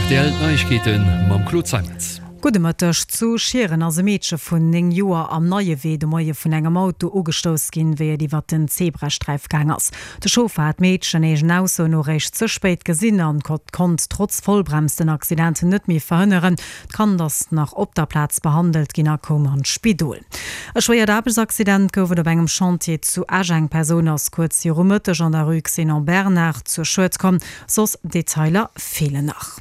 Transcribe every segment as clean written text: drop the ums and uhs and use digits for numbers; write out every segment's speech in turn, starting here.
Rtl, D'Neiegkeete mam Claude Zeimetz. Gudde Mëtteg. Zu Schieren ass e Meedche vun 9 Joer am Neiewee de Moie vun engem Auto ugestouss ginn, wéi et iwwert den Zebrasträif gaang ass. De Chauffer hat d'Meedchen eegen Ausso no réischt ze spéit gesinn an konnt trotz Vollbrems den Accident net méi verhënneren. D'Kand ass nach op der Plaz behandelt ginn a koum an d'Spidol. E schwéiert Aarbechtsaccident gouf et op engem Chantier zu Esch. Eng Persoun ass kuerz viru Mëtteg an der Rue Xénon Bernard zu Schued komm. Soss Detailer feelen nach.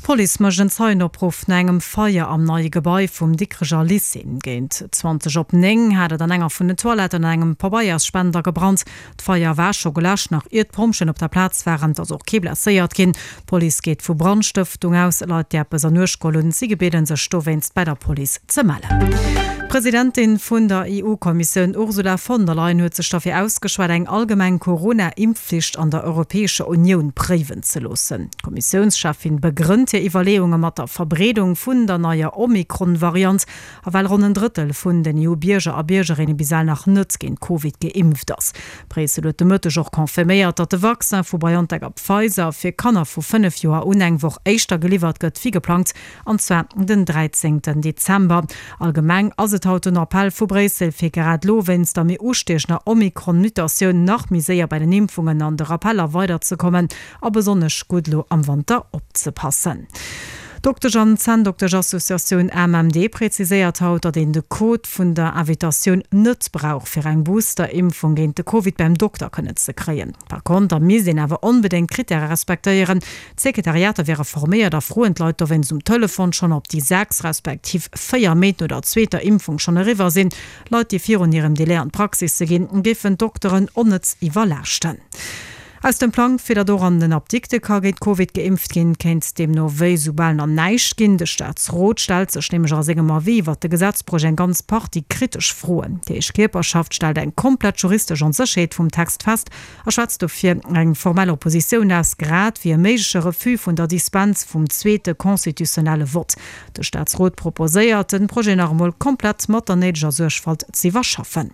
D'Police mécht en Zeienopruff no engem Feier am neie Gebai vum Dikreger Lycée. Géint 20 op 9 hat et an enger vun den Toiletten an engem Pabeiersspender gebrannt. D'Feier war scho geläscht, nach ier d'Pompjeeën op der Plaz waren. Et ass och kee blesséiert ginn. D'Police geet vu Brandstëftung aus. Leit, déi eppes an Uecht geholl hunn, si gebieden, sech dowéinst bei der Police ze mellen. D'Presidentin vun der EU-Kommissioun Ursula von der Leyen huet sech derfir ausgeschwat, eng allgemeng Corona-Impfflicht an der Europäescher Unioun préiwen ze loossen. D'Kommissiounscheffin begrënnt hir Iwwerleeunge mat der Verbreedung vun der neier Omikron-Variant A well ronn en Drëttel vun den EU-Bierger a Biergerinne bis ewell nach net géint Covid geimpft ass. Bréissel huet de Mëtteg och confirméiert, datt de Vaccin vu BioNTech a Pfizer fir Kanner vu 5 Joer un eng Woch éischter geliwwert gëtt wéi geplangt, an zwar den 13 Dezember. Allgemeng ass et haut den Appell vu Bréissel, fir grad elo wéinst der méi ustiechender Omikron-Mutatioun nach méi séier bei den Impfungen an de Rappeller weiderzekommen A besonnesch gutt elo am Wanter opzepassen. D'Doktesch an Zänndoktesch-Associatioun AMMD präziséiert haut, datt een de Code vun der Invitatioun net brauch, fir eng Booster-Impfung géint de Covid beim Dokter kënnen ze kréien. Par konter misst een awer onbedéngt d'Krittäre respektéieren. D'Sekretariater wiere forméiert a froen d'Leit dowéinst um Telefon schonn, ob déi 6 respektiv 4 Méint no der zweeter Impfung schonn eriwwer sinn. Leit, déi virun hirem Delai an d'Praxisse ginn, géifen d'Dokteren onnëtz iwwerlaaschten. Aus dem Plang, fir datt och an den Apdikte ka géint Covid geimpft ginn, kéint deemno wéi soubal nach näischt ginn. De Staatsrot stellt sech nämlech a sengem Avis iwwert de Gesetzprojet eng ganz Partie kritesch Froen. Déi héich Kierperschaft stellt eng komplett juristesch Onsécherheet vum Text fest a schwätzt dofir eng formell Oppositioun aus, grad wéi e méigleche Refus vun der Dispens vum zweete constitutionnelle Vott. De Staatsrot proposéiert, den Projet nach emol komplett mat der néideger Suergfalt z'iwwerschaffen.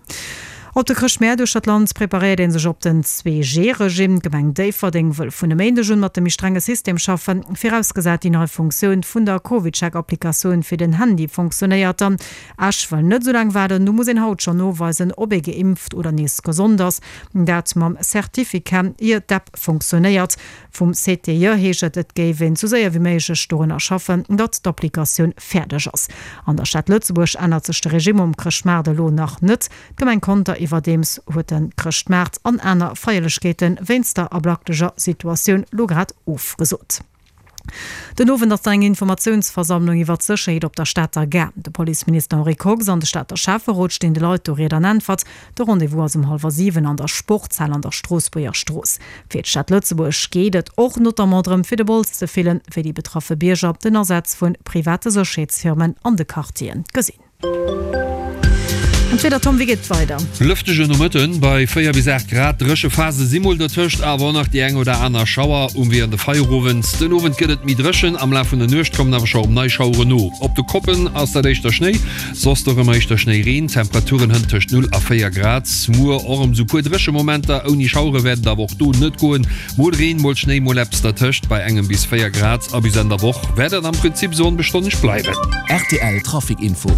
Op de Chrëschtmäert uechter d'Land preparéiert ee sech op den 2G-Regime. D'Gemeng Déifferdeng wëll vun e Méindeg un mat dem méi strenge System schaffen, virausgesat déi nei Funktioun vun der CovidCheck-Applikatioun fir den Handy fonctionnéiert dann. Esch wëll net esou laang waarden, do muss een haut schonn noweisen, ob ee geimpft oder nees gesond ass, dat mam Certificat, ier d'App fonctionnéiert. Vum CTJ heescht et, et géif een sou séier wéi méiglech dorunner schaffen, datt d'Applikatioun fäerdeg ass. An der Stad Lëtzebuerg ännert sech de Regime um Chrëschtmaart elo nach net. D'Gemeng Conter iwwerdeems huet de Chrëschtmaart an aner Feierlechkeete wéinst der ablacklecher Situatioun lo grad ofgesot. Den Owend ass dann eng Informatiounsversammlung iwwer d'Sécherheet op der Stater Gare. De Policeminister Henri Kox an de Stater Schäfferot stinn de Leit do Ried an Äntwert. De Rendez-vous ass um hallwer 7 an der Sportshal an der Stroossbuerger Strooss. Fir d'Stad Lëtzebuerg geet et och notamment drëm, fir de Bols ze fillen, wéi déi betraffe Bierger den Asaz vu private Sécherheetsfirmen an de Quartieren gesinn. An d'Wieder, Tom, wéi geet et weider? Lëftege Nomëtten bei 4 bis 8 Grad, dréche Phase si mol dertëscht, awer och nach déi eng oder aner Schauer um Wee an de Feierowend. Den Owend gëtt et méi dréchen, am Laf vun der Nuecht kommen awer scho rëm nei Schauere no. Op de Koppen ass dat éischter Schnéi, soss do rëm éischter Schnéireen. Temperaturen hënt tëscht 0 a 4 Grad. Muer och rëm sou puer dréche Momenter, ouni Schauere wäert et awer och do net goen. Mol Reen, mol Schnéi, mol eppes dertëscht bei engem bis 4 Grad a bis Enn der Woch wäert et am Prinzip sou onbestonneg bleiwen. Rtl Trafic Info.